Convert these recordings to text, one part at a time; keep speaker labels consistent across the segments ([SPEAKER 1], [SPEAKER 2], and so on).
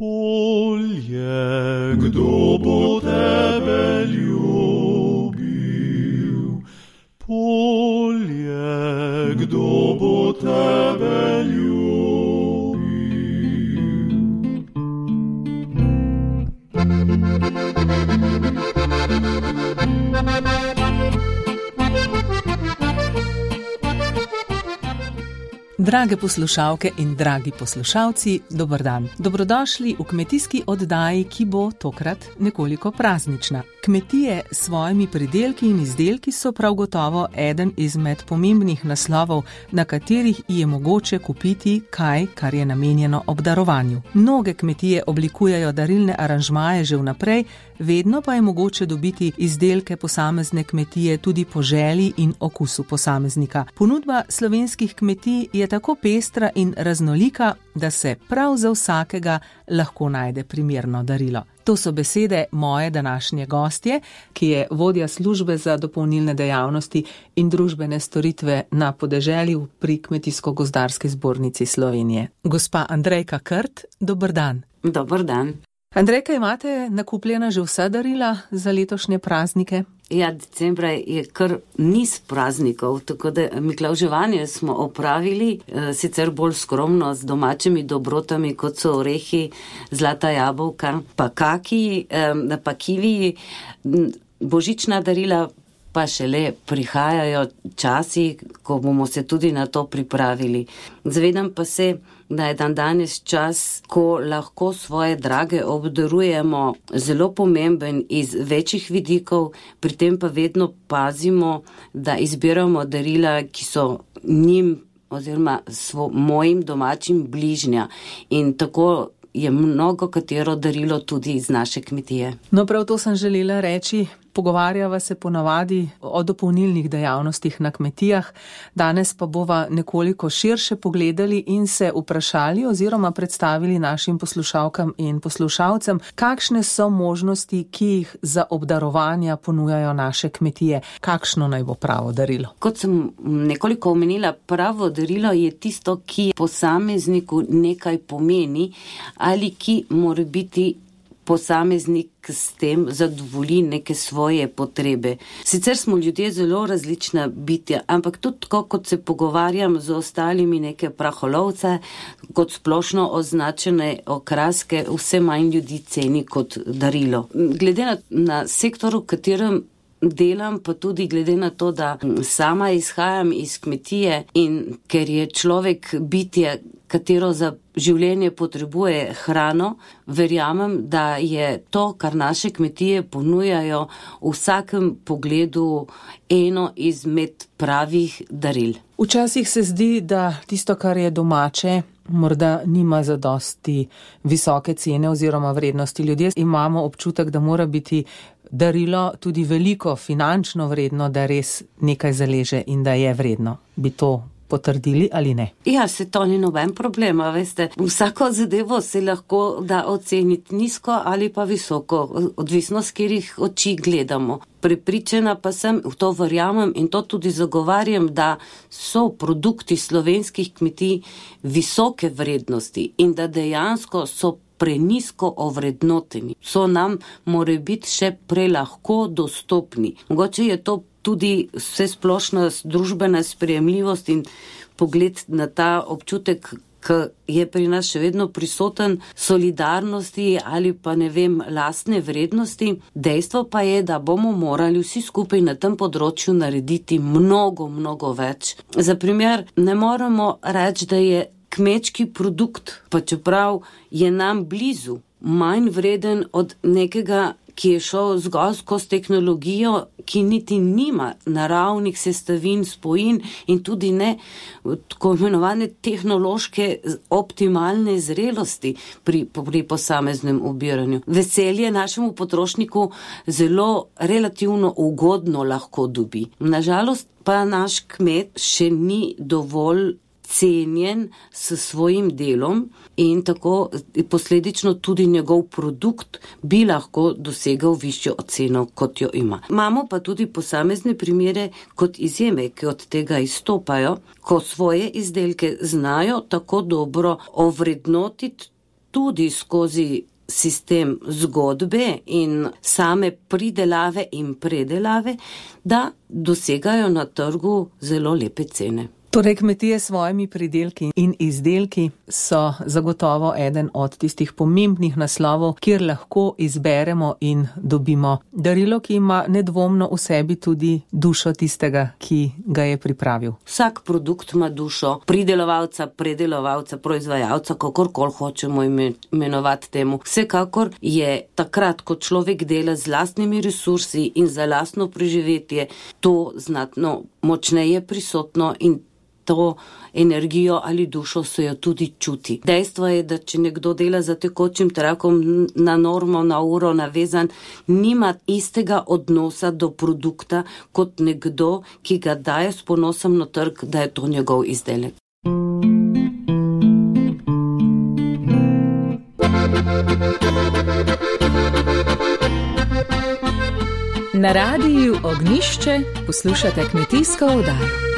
[SPEAKER 1] Polje, kdo bo tebe ljubil? Polje, kdo bo tebe ljubil?
[SPEAKER 2] Drage poslušalke in dragi poslušalci, dober dan. Dobrodošli v kmetijski oddaji, ki bo tokrat nekoliko praznična. Kmetije s svojimi pridelki in izdelki so prav gotovo eden izmed pomembnih naslovov, na katerih je mogoče kupiti kaj, kar je namenjeno obdarovanju. Mnoge kmetije oblikujejo darilne aranžmaje že vnaprej, vedno pa je mogoče dobiti izdelke posamezne kmetije tudi po želji in okusu posameznika. Ponudba slovenskih kmetij je tako pestra in raznolika, da se prav za vsakega lahko najde primerno darilo. To so besede moje današnje gostje, ki je vodja službe za dopolnilne dejavnosti in družbene storitve na podeželju pri Kmetijsko-gozdarski zbornici Slovenije. Gospa Andrejka Krt, dober dan.
[SPEAKER 3] Dober dan.
[SPEAKER 2] Andrejka, imate nakupljena že vsa darila za letošnje praznike?
[SPEAKER 3] Ja, decembra je kar niz praznikov, tako da miklavževanje smo opravili, sicer bolj skromno z domačimi dobrotami, kot so orehi, zlata jabolka, pa kaki, pa kiviji, božična darila pa šele prihajajo časi, ko bomo se tudi na to pripravili. Zavedam pa se, da je danes čas, ko lahko svoje drage obdarujemo zelo pomemben iz večjih vidikov, pri tem pa vedno pazimo, da izbiramo darila, ki so njim oziroma mojim domačim bližnja, in tako je mnogo katero darilo tudi iz naše kmetije.
[SPEAKER 2] No, prav to sem želela reči. Pogovarjava se ponavadi o dopolnilnih dejavnostih na kmetijah, danes pa bova nekoliko širše pogledali in se vprašali oziroma predstavili našim poslušalkam in poslušalcem, kakšne so možnosti, ki jih za obdarovanja ponujajo naše kmetije, kakšno naj bo pravo darilo.
[SPEAKER 3] Kot sem nekoliko omenila, pravo darilo je tisto, ki posamezniku nekaj pomeni ali ki mora biti posameznik s tem zadovolji neke svoje potrebe. Sicer smo ljudje zelo različna bitja, ampak tudi tako, kot se pogovarjam z ostalimi neke praholovce, kot splošno označene okraske, vse manj ljudi ceni kot darilo. Glede na sektor, v katerem delam, pa tudi glede na to, da sama izhajam iz kmetije in ker je človek bitje, katero za življenje potrebuje hrano, verjamem, da je to, kar naše kmetije ponujajo, v vsakem pogledu eno izmed pravih daril.
[SPEAKER 2] Včasih se zdi, da tisto, kar je domače, morda nima zadosti visoke cene oziroma vrednosti. Ljudje imamo občutek, da mora biti darilo tudi veliko finančno vredno, da res nekaj zaleže in da je vredno. Bi to potrdili ali ne?
[SPEAKER 3] Ja, se to ni noben problem, veste. Vsako zadevo se lahko da oceniti nizko ali pa visoko, odvisno s katerih oči gledamo. Prepričana pa sem, v to verjamem in to tudi zagovarjam, da so produkti slovenskih kmetij visoke vrednosti in da dejansko so prenisko ovrednoteni. So nam more biti še prelahko dostopni. Mogoče je to tudi vse splošna družbena sprejemljivost in pogled na ta občutek, ki je pri nas še vedno prisoten, solidarnosti ali pa lastne vrednosti. Dejstvo pa je, da bomo morali vsi skupaj na tem področju narediti mnogo, mnogo več. Za primer, ne moremo reči, da je kmečki produkt, pa čeprav je nam blizu, manj vreden od nekega, ki je šel zgolj skozi tehnologijo, ki niti nima naravnih sestavin, spojin in tudi ne tako imenovane tehnološke optimalne zrelosti pri posameznem obiranju. Veselje našemu potrošniku zelo relativno ugodno lahko dobi. Nažalost pa naš kmet še ni dovolj cenjen s svojim delom in tako posledično tudi njegov produkt bi lahko dosegal višjo oceno, kot jo ima. Imamo pa tudi posamezne primere kot izjeme, ki od tega izstopajo, ko svoje izdelke znajo tako dobro ovrednotiti tudi skozi sistem zgodbe in same pridelave in predelave, da dosegajo na trgu zelo lepe cene.
[SPEAKER 2] Torej, kmetije s svojimi pridelki in izdelki so zagotovo eden od tistih pomembnih naslovov, kjer lahko izberemo in dobimo darilo, ki ima nedvomno v sebi tudi dušo tistega, ki ga je pripravil.
[SPEAKER 3] Vsak produkt ima dušo pridelovalca, predelovalca, proizvajalca, kakorkoli hočemo imenovati temu. Vsekakor je takrat, ko človek dela z lastnimi resursi in za lastno preživetje, to znatno močneje prisotno in to energijo ali dušo se jo tudi čuti. Dejstvo je, da če nekdo dela za tekočim trakom na normo, na uro navezan, nima istega odnosa do produkta kot nekdo, ki ga daje s ponosom na trg, da je to njegov izdelek.
[SPEAKER 4] Na radiju Ognjišče poslušate kmetijsko oddajo.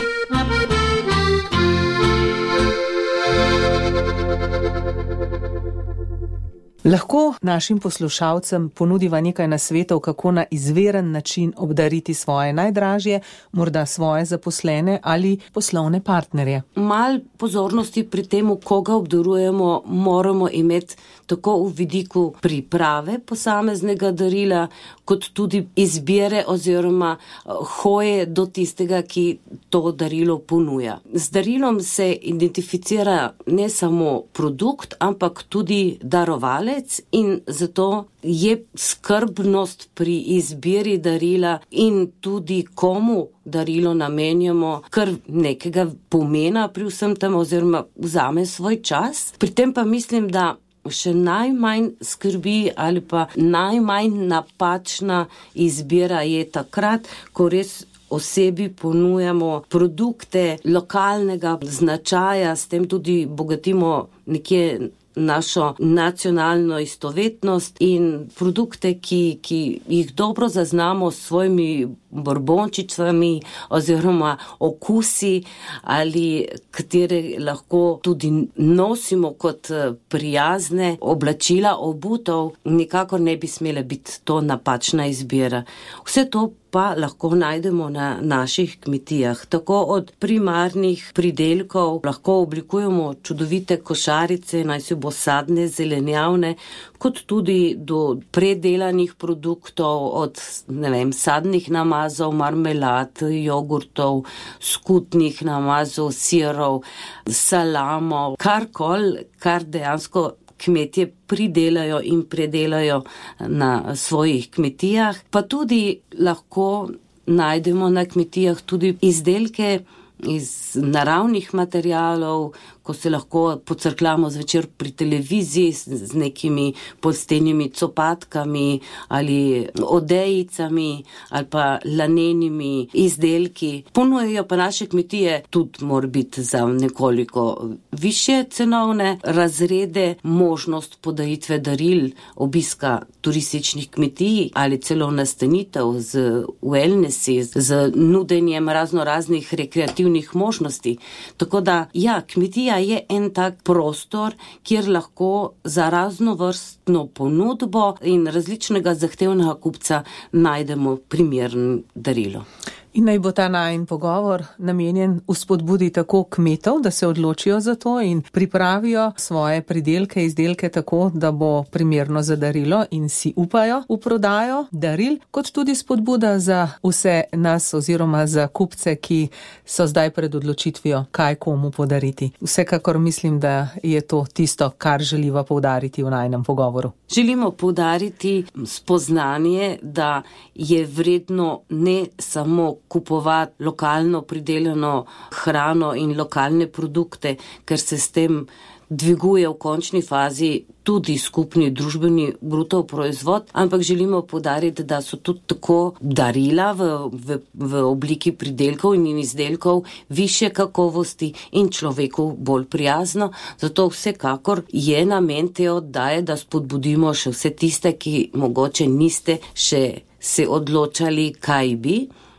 [SPEAKER 2] Lahko našim poslušalcem ponudiva nekaj nasvetov, kako na izveren način obdariti svoje najdražje, morda svoje zaposlene ali poslovne partnerje.
[SPEAKER 3] Mal pozornosti pri temu, koga obdarujemo, moramo imeti tako v vidiku priprave posameznega darila, kot tudi izbire oziroma hoje do tistega, ki to darilo ponuja. Z darilom se identificira ne samo produkt, ampak tudi darovalec in zato je skrbnost pri izbiri darila in tudi komu darilo namenjamo kar nekega pomena pri vsem tem oziroma vzame svoj čas. Pri tem pa mislim, da še najmanj skrbi ali pa najmanj napačna izbira je takrat, ko res osebi ponujamo produkte lokalnega značaja, s tem tudi bogatimo nekje našo nacionalno istovetnost in produkte, ki jih dobro zaznamo s svojimi borbončicami oziroma okusi ali katere lahko tudi nosimo kot prijazne oblačila, obutev, nikakor ne bi smela biti to napačna izbira. Vse to pa lahko najdemo na naših kmetijah. Tako od primarnih pridelkov lahko oblikujemo čudovite košarice, naj si bo sadne, zelenjavne, kot tudi do predelanih produktov, od sadnih namazov, marmelad, jogurtov, skutnih namazov, sirov, salamov, karkoli, kar dejansko kmetje pridelajo in predelajo na svojih kmetijah. Pa tudi lahko najdemo na kmetijah tudi izdelke iz naravnih materialov, ko se lahko pocrkljamo zvečer pri televiziji z nekimi polstenimi copatkami ali odejicami ali pa lanenimi izdelki. Ponujajo pa naše kmetije tudi mora biti za nekoliko višje cenovne razrede, možnost podaritve daril, obiska turističnih kmetij ali celo nastanitev z wellnessi, z nudenjem raznoraznih rekreativnih možnosti. Tako da, kmetija je en tak prostor, kjer lahko za raznovrstno ponudbo in različnega zahtevnega kupca najdemo primerno darilo.
[SPEAKER 2] In naj bo ta najin pogovor namenjen vzpodbudi tako kmetov, da se odločijo za to in pripravijo svoje pridelke, izdelke tako, da bo primerno za darilo in si upajo v prodajo daril, kot tudi spodbuda za vse nas oziroma za kupce, ki so zdaj pred odločitvijo, kaj komu podariti. Vsekakor mislim, da je to tisto, kar želiva poudariti v najinem pogovoru.
[SPEAKER 3] Želimo poudariti spoznanje, da je vredno ne samo kupovati lokalno pridelano hrano in lokalne produkte, ker se s tem dviguje v končni fazi tudi skupni družbeni bruto proizvod, ampak želimo poudariti, da so tudi tako darila v obliki pridelkov in izdelkov višje kakovosti in človeku bolj prijazno. Zato vsekakor je namen te oddaje, da spodbudimo še vse tiste, ki mogoče niste še se odločali, kaj bi,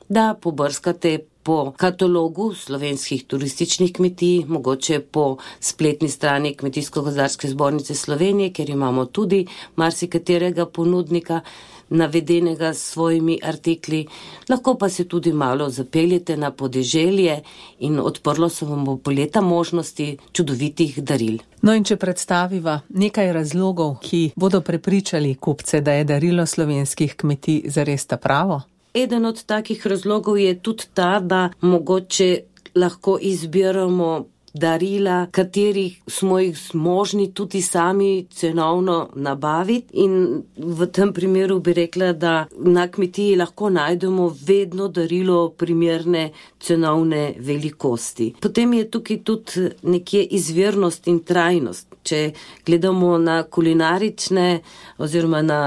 [SPEAKER 3] da pobrskate po katalogu slovenskih turističnih kmetij, mogoče po spletni strani Kmetijsko-gozdarske zbornice Slovenije, ker imamo tudi marsikaterega ponudnika navedenega s svojimi artikli. Lahko pa se tudi malo zapeljete na podeželje in odprlo se vam bo leta možnosti čudovitih daril.
[SPEAKER 2] No in če predstaviva nekaj razlogov, ki bodo prepričali kupce, da je darilo slovenskih kmetij zares ta pravo?
[SPEAKER 3] Eden od takih razlogov je tudi ta, da mogoče lahko izbiramo darila, katerih smo jih zmožni tudi sami cenovno nabaviti, in v tem primeru bi rekla, da na kmetiji lahko najdemo vedno darilo primerne cenovne velikosti. Potem je tukaj tudi nekje izvirnost in trajnost. Če gledamo na kulinarične oziroma na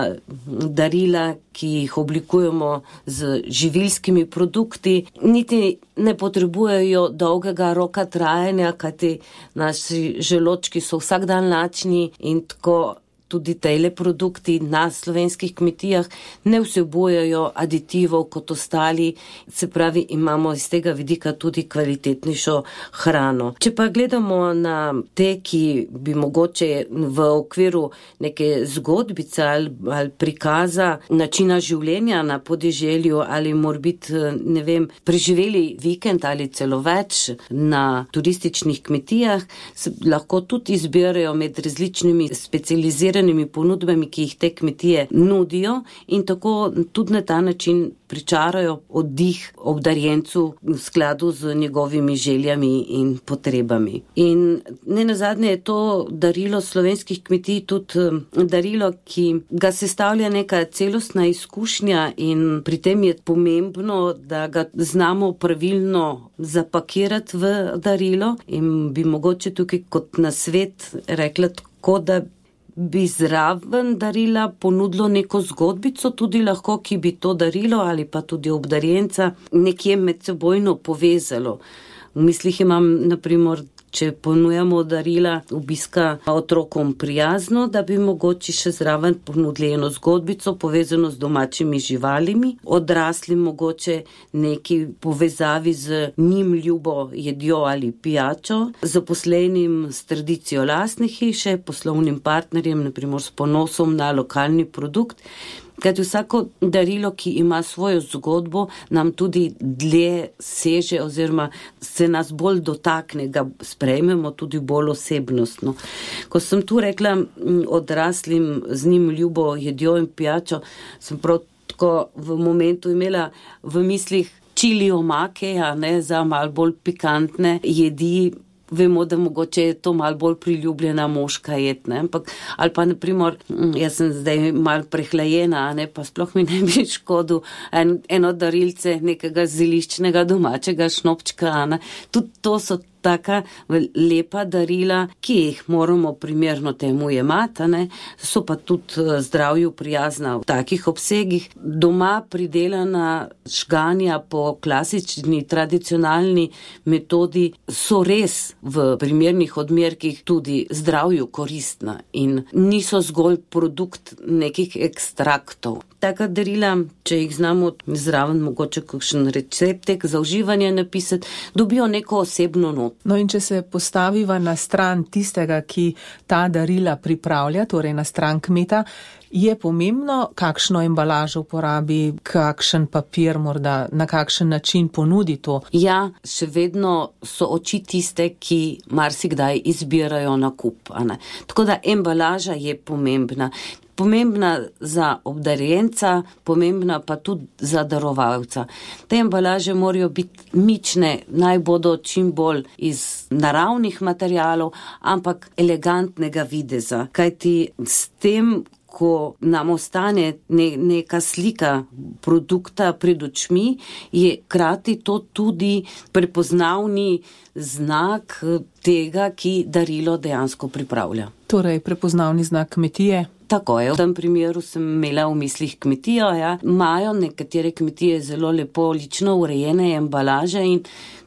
[SPEAKER 3] darila, ki jih oblikujemo z živilskimi produkti, niti ne potrebujejo dolgega roka trajanja, kajti naši želočki so vsak dan lačni in tako tudi tejle produkti na slovenskih kmetijah ne vsebujejo aditivov kot ostali, se pravi, imamo iz tega vidika tudi kvalitetnejšo hrano. Če pa gledamo na te, ki bi mogoče v okviru neke zgodbice ali prikaza načina življenja na podeželju ali morbiti, ne vem, preživeli vikend ali celo več na turističnih kmetijah, se lahko tudi izbirajo med različnimi specializiranimi ponudbami, ki jih te kmetije nudijo, in tako tudi na ta način pričarajo oddih obdarjencu v skladu z njegovimi željami in potrebami. In nenazadnje je to darilo slovenskih kmetij tudi darilo, ki ga sestavlja neka celostna izkušnja, in pri tem je pomembno, da ga znamo pravilno zapakirati v darilo, in bi mogoče tukaj kot nasvet rekla tako, da bi zraven darila ponudilo neko zgodbico, tudi lahko, ki bi to darilo ali pa tudi obdarjenca nekje med sebojno povezalo. V mislih imam, naprimer, če ponujamo darila obiska otrokom prijazno, da bi mogoče še zraven ponudili eno zgodbico povezano z domačimi živalimi, odraslim mogoče neki povezavi z njim ljubo jedjo ali pijačo, zaposlenim s tradicijo lastne hiše, poslovnim partnerjem, naprimer s ponosom na lokalni produkt. Kajti vsako darilo, ki ima svojo zgodbo, nam tudi dlje seže oziroma se nas bolj dotakne, ga sprejmemo tudi bolj osebnostno. Ko sem tu rekla odraslim z njim ljubo jedjo in pijačo, sem prav tako v momentu imela v mislih čili omake, za malo bolj pikantne jedi. Vemo, da mogoče je to malo bolj priljubljena moška jed, ampak, ali pa, naprimer, jaz sem zdaj malo prehlajena, pa sploh mi ne bi škodil eno darilce nekega zeliščnega domačega šnopčka, Tudi to so taka lepa darila, ki jih moramo primerno temu jemati, so pa tudi zdravju prijazna v takih obsegih. Doma pridelana žganja po klasični, tradicionalni metodi so res v primernih odmerkih tudi zdravju koristna in niso zgolj produkt nekih ekstraktov. Taka darila, če jih znamo zraven mogoče kakšen receptek za uživanje napisati, dobijo neko osebno not.
[SPEAKER 2] No in če se postaviva na stran tistega, ki ta darila pripravlja, torej na stran kmeta, je pomembno, kakšno embalažo uporabi, kakšen papir morda, na kakšen način ponudi to.
[SPEAKER 3] Ja, še vedno so oči tiste, ki marsikdaj izbirajo nakup. Tako da embalaža je pomembna. Pomembna za obdarjenca, pomembna pa tudi za darovalca. Te embalaže morajo biti mične, naj bodo čim bolj iz naravnih materialov, ampak elegantnega videza. Kajti s tem, ko nam ostane neka slika produkta pred očmi, je krati to tudi prepoznavni znak tega, ki darilo dejansko pripravlja.
[SPEAKER 2] Torej, prepoznavni znak kmetije?
[SPEAKER 3] Tako je. V tem primeru sem imela v mislih kmetijo. Imajo nekatere kmetije zelo lepo lično urejene embalaže in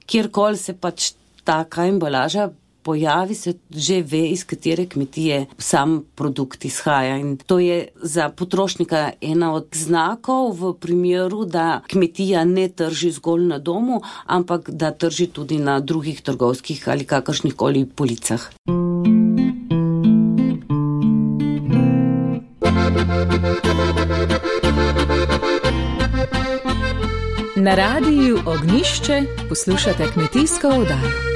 [SPEAKER 3] kjerkoli se pač taka embalaža pojavi, se že ve, iz katere kmetije sam produkt izhaja. In to je za potrošnika ena od znakov v primeru, da kmetija ne trži zgolj na domu, ampak da trži tudi na drugih trgovskih ali kakršnihkoli policah.
[SPEAKER 4] Na radiju Ognjišče poslušate kmetijsko oddajo.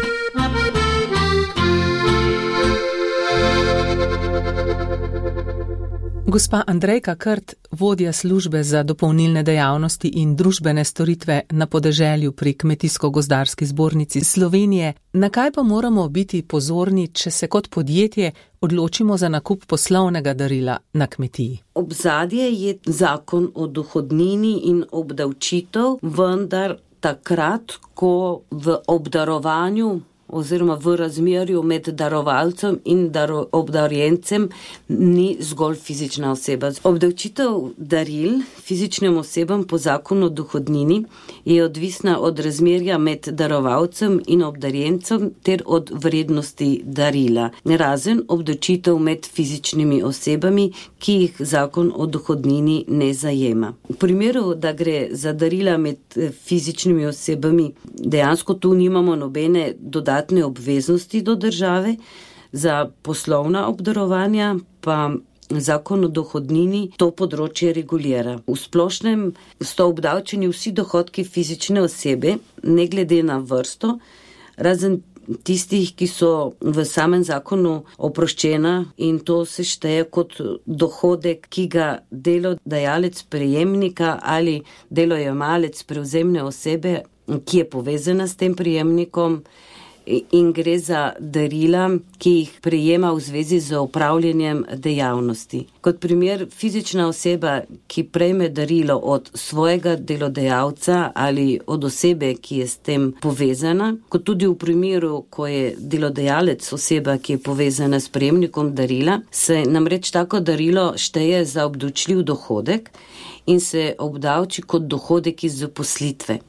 [SPEAKER 2] Gospa Andrejka Krt, vodja službe za dopolnilne dejavnosti in družbene storitve na podeželju pri Kmetijsko-gozdarski zbornici Slovenije, na kaj pa moramo biti pozorni, če se kot podjetje odločimo za nakup poslovnega darila na kmetiji?
[SPEAKER 3] Obzadje je zakon o dohodnini in obdavčitev, vendar takrat, ko v obdarovanju oziroma v razmerju med darovalcem in obdarjencem ni zgolj fizična oseba. Obdavčitev daril fizičnim osebam po zakonu o dohodnini je odvisna od razmerja med darovalcem in obdarjencem ter od vrednosti darila, razen obdavčitev med fizičnimi osebami, ki jih zakon o dohodnini ne zajema. V primeru, da gre za darila med fizičnimi osebami, dejansko tu nimamo nobene dodatne obveznosti do države, za poslovna obdarovanja pa zakon o dohodnini to področje regulira. V splošnem so obdavčeni vsi dohodki fizične osebe, ne glede na vrsto, razen tistih, ki so v samem zakonu oproščena, in to se šteje kot dohodek, ki ga delodajalec prejemnika ali delojemalec prevzemne osebe, ki je povezana s tem prejemnikom, in gre za darila, ki jih prejema v zvezi z opravljanjem dejavnosti. Kot primer, fizična oseba, ki prejme darilo od svojega delodajalca ali od osebe, ki je s tem povezana, kot tudi v primeru, ko je delodajalec oseba, ki je povezana s prejemnikom darila, se namreč tako darilo šteje za obdavčljiv dohodek in se obdavči kot dohodek iz zaposlitve.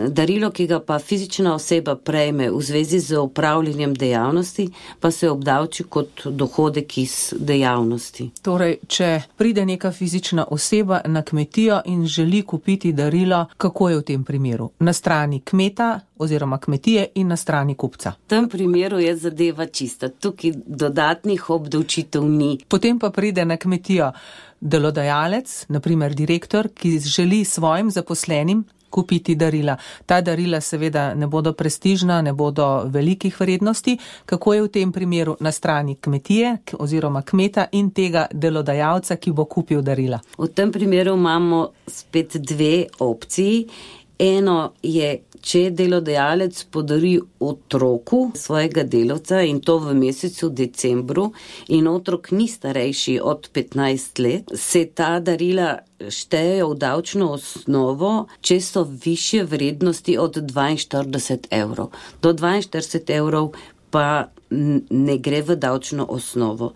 [SPEAKER 3] Darilo, ki ga pa fizična oseba prejme v zvezi z opravljanjem dejavnosti, pa se obdavči kot dohodek iz dejavnosti.
[SPEAKER 2] Torej, če pride neka fizična oseba na kmetijo in želi kupiti darilo, kako je v tem primeru? Na strani kmeta oziroma kmetije in na strani kupca?
[SPEAKER 3] V tem primeru je zadeva čista. Tukaj dodatnih obdavčitev ni.
[SPEAKER 2] Potem pa pride na kmetijo delodajalec, na primer direktor, ki želi svojim zaposlenim kupiti darila. Ta darila seveda ne bodo prestižna, ne bodo velikih vrednosti. Kako je v tem primeru na strani kmetije oziroma kmeta in tega delodajalca, ki bo kupil darila?
[SPEAKER 3] V tem primeru imamo spet dve opciji. Eno je, če delodajalec podari otroku svojega delavca in to v mesecu decembru in otrok ni starejši od 15 let, se ta darila štejejo v davčno osnovo, če so višje vrednosti od 42 evrov. Do 42 evrov pa ne gre v davčno osnovo.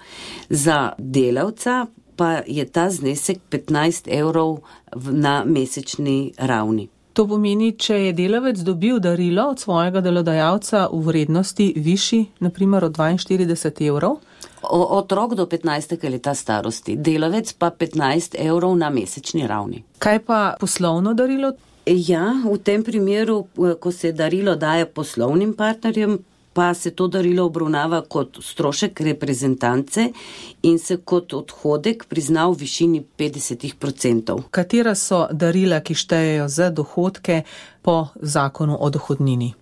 [SPEAKER 3] Za delavca pa je ta znesek 15 evrov na mesečni ravni.
[SPEAKER 2] To pomeni, če je delavec dobil darilo od svojega delodajalca v vrednosti višji, naprimer od 42 evrov?
[SPEAKER 3] Otrok do 15. leta starosti, delavec pa 15 evrov na mesečni ravni.
[SPEAKER 2] Kaj pa poslovno darilo?
[SPEAKER 3] Ja, v tem primeru, ko se darilo daje poslovnim partnerjem, pa se to darilo obravnava kot strošek reprezentance in se kot odhodek prizna v višini 50%.
[SPEAKER 2] Katera so darila, ki štejejo za dohodke po zakonu o dohodnini?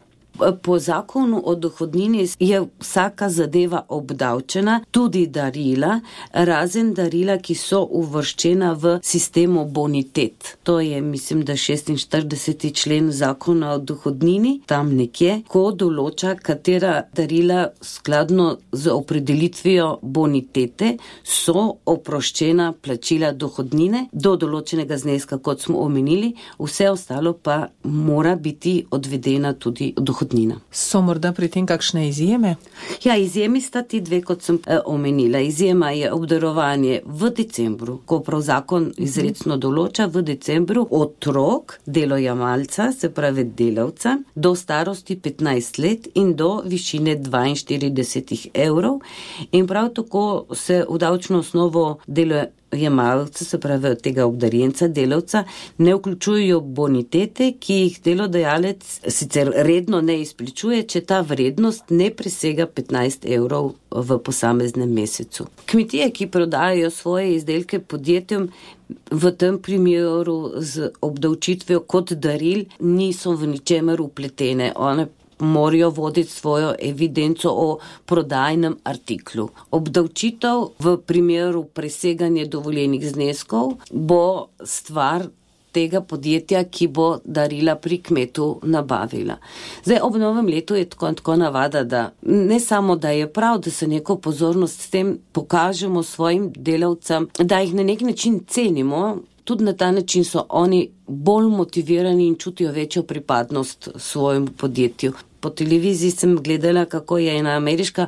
[SPEAKER 3] Po zakonu o dohodnini je vsaka zadeva obdavčena, tudi darila, razen darila, ki so uvrščena v sistemu bonitet. To je, mislim, da 46. člen zakona o dohodnini, tam nekje, ko določa, katera darila skladno z opredelitvijo bonitete so oproščena plačila dohodnine do določenega zneska, kot smo omenili, vse ostalo pa mora biti odvedena tudi dohodnina. dohodnina.
[SPEAKER 2] So morda pri tem kakšne izjeme?
[SPEAKER 3] Ja, izjemi sta ti dve, kot sem omenila. Izjema je obdarovanje v decembru, ko prav zakon izrecno določa v decembru otrok delojemalca, se pravi delavca, do starosti 15 let in do višine 42 evrov. In prav tako se v davčno osnovo delojemalca, se pravi tega obdarjenca, delavca, ne vključujejo bonitete, ki jih delodajalec sicer redno ne izplačuje, če ta vrednost ne presega 15 evrov v posameznem mesecu. Kmetije, ki prodajajo svoje izdelke podjetjem, v tem primeru z obdavčitvijo kot daril niso v ničemer vpletene. One morajo voditi svojo evidenco o prodajnem artiklu. Obdavčitev v primeru preseganja dovoljenih zneskov bo stvar tega podjetja, ki bo darila pri kmetu nabavila. Zdaj, ob novem letu je tako navada, da ne samo, da je prav, da se neko pozornost s tem pokažemo svojim delavcem, da jih na nek način cenimo, tudi na ta način so oni bolj motivirani in čutijo večjo pripadnost svojemu podjetju. Po televiziji sem gledala, kako je ena ameriška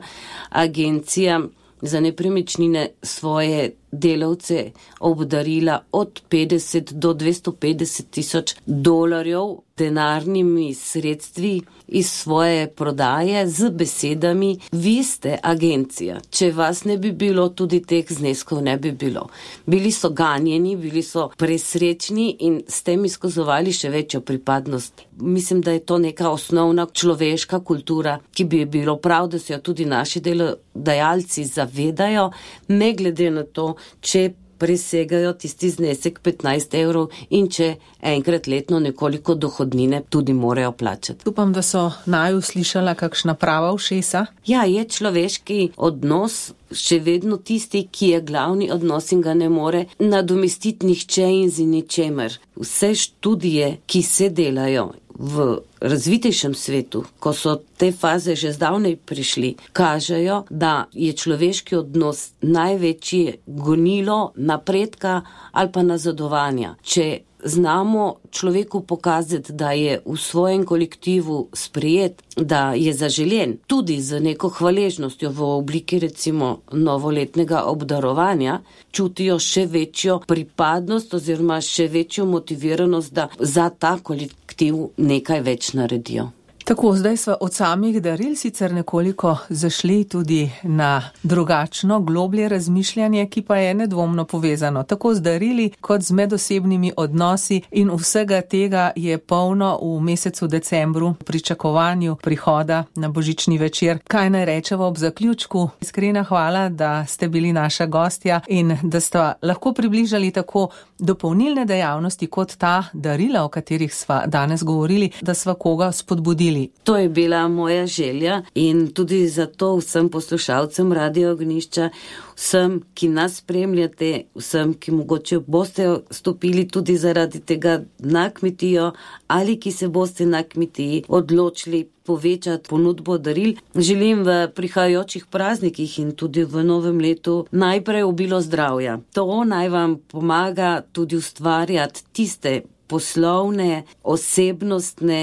[SPEAKER 3] agencija za nepremičnine svoje delavce obdarila od 50 do 250 tisoč dolarjev denarnimi sredstvi iz svoje prodaje z besedami: vi ste agencija, če vas ne bi bilo, tudi teh zneskov ne bi bilo. Bili so ganjeni, bili so presrečni in s tem izkazovali še večjo pripadnost. Mislim, da je to neka osnovna človeška kultura, ki bi bilo prav, da se jo tudi naši delodajalci zavedajo, ne glede na to, če presegajo tisti znesek 15 evrov in če enkrat letno nekoliko dohodnine tudi morajo plačati.
[SPEAKER 2] Upam, da so naju slišala kakšna prava ušesa.
[SPEAKER 3] Ja, je človeški odnos še vedno tisti, ki je glavni odnos in ga ne more nadomestiti nihče in z ničemer. Vse študije, ki se delajo v razvitejšem svetu, ko so te faze že zdavnej prišli, kažejo, da je človeški odnos največje gonilo napredka ali pa nazadovanja. Če znamo človeku pokazati, da je v svojem kolektivu sprejet, da je zaželjen, tudi z neko hvaležnostjo v obliki recimo novoletnega obdarovanja, čutijo še večjo pripadnost oziroma še večjo motiviranost, da za ta kolektiv nekaj več naredijo.
[SPEAKER 2] Tako, zdaj sva od samih daril sicer nekoliko zašli tudi na drugačno, globlje razmišljanje, ki pa je nedvomno povezano tako z darili kot z medosebnimi odnosi, in vsega tega je polno v mesecu decembru v pričakovanju prihoda na božični večer. Kaj naj rečeva ob zaključku? Iskrena hvala, da ste bili naša gostja in da sta lahko približali tako dopolnilne dejavnosti kot ta darila, o katerih sva danes govorili, da sva koga spodbudili.
[SPEAKER 3] To je bila moja želja in tudi zato vsem poslušalcem Radio Ognjišča, vsem, ki nas spremljate, vsem, ki mogoče boste stopili tudi zaradi tega na kmetijo ali ki se boste na kmetiji odločili povečati ponudbo daril, želim v prihajajočih praznikih in tudi v novem letu najprej obilo zdravja. To naj vam pomaga tudi ustvarjati tiste poslovne, osebnostne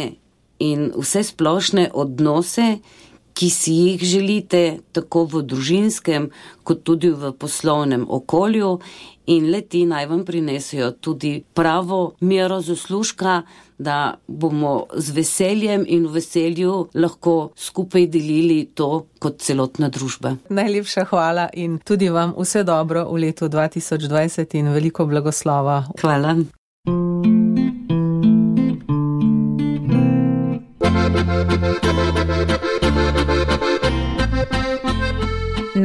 [SPEAKER 3] in vse splošne odnose, ki si jih želite tako v družinskem kot tudi v poslovnem okolju, in le-ti naj vam prinesejo tudi pravo mero zaslužka, da bomo z veseljem in v veselju lahko skupaj delili to kot celotna družba.
[SPEAKER 2] Najlepša hvala in tudi vam vse dobro v letu 2020 in veliko blagoslova.
[SPEAKER 3] Hvala.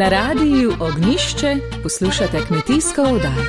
[SPEAKER 4] Na radiju Ognjišče poslušate kmetijsko oddajo.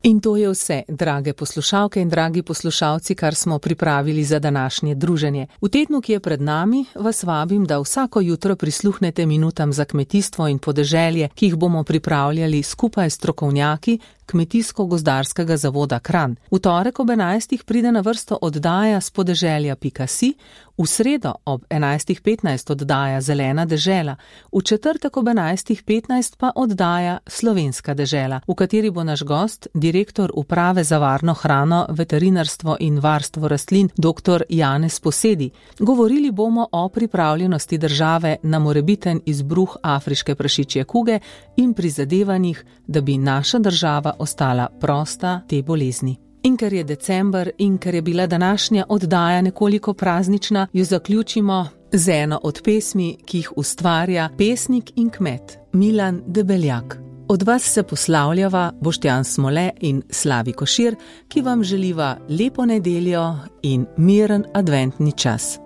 [SPEAKER 2] In to je vse, drage poslušalke in dragi poslušalci, kar smo pripravili za današnje druženje. V tednu, ki je pred nami, vas vabim, da vsako jutro prisluhnete minutam za kmetijstvo in podeželje, ki jih bomo pripravljali skupaj s strokovnjaki Kmetijsko-gozdarskega zavoda Kranj. V torek ob 11. pride na vrsto oddaja Spodeželja.si, v sredo ob 11.15 oddaja Zelena dežela, v četrtek ob 11.15 pa oddaja Slovenska dežela, v kateri bo naš gost, direktor direktor Uprave za varno hrano, veterinarstvo in varstvo rastlin dr. Janez Posedi. Govorili bomo o pripravljenosti države na morebiten izbruh afriške prašičje kuge in prizadevanjih, da bi naša država ostala prosta te bolezni. In ker je december in ker je bila današnja oddaja nekoliko praznična, jo zaključimo z eno od pesmi, ki jih ustvarja pesnik in kmet Milan Debeljak. Od vas se poslavljava Boštjan Smole in Slavi Košir, ki vam želiva lepo nedeljo in miren adventni čas.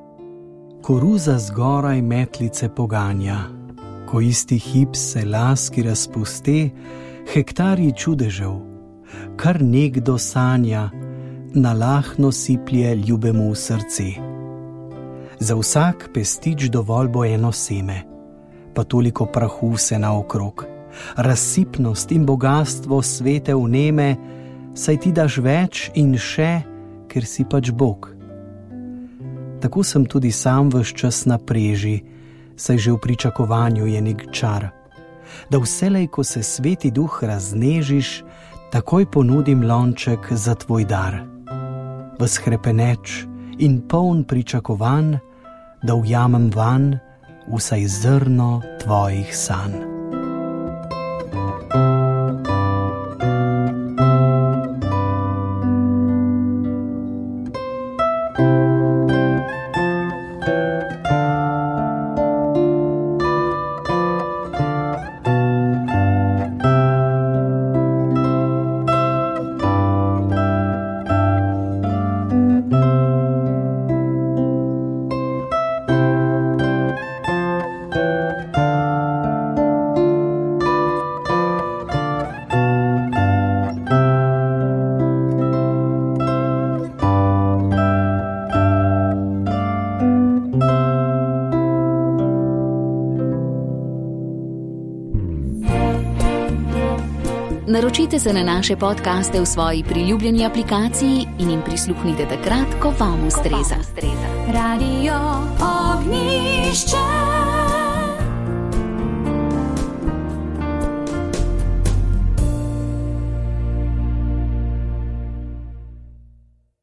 [SPEAKER 5] Koruza zgoraj metlice poganja, ko isti hip se laski razpuste, hektarji čudežev, kar nekdo sanja, nalahno siplje ljubemu v srce. Za vsak pestič dovolj bo eno seme, pa toliko prahu se naokrog. Razsipnost in bogatstvo svete vneme, saj ti daš več in še, ker si pač Bog. Tako sem tudi sam ves čas na preži, saj že v pričakovanju je nek čar, da vselej, ko se sveti duh raznežiš, takoj ponudim lonček za tvoj dar. Ves hrepeneč in poln pričakovanj, da ujamem vanj vsaj zrno tvojih sanj.
[SPEAKER 4] Naročite se na naše podcaste v svoji priljubljeni aplikaciji in jim prisluhnite takrat, ko vam ustreza.
[SPEAKER 6] Radio Ognjišče.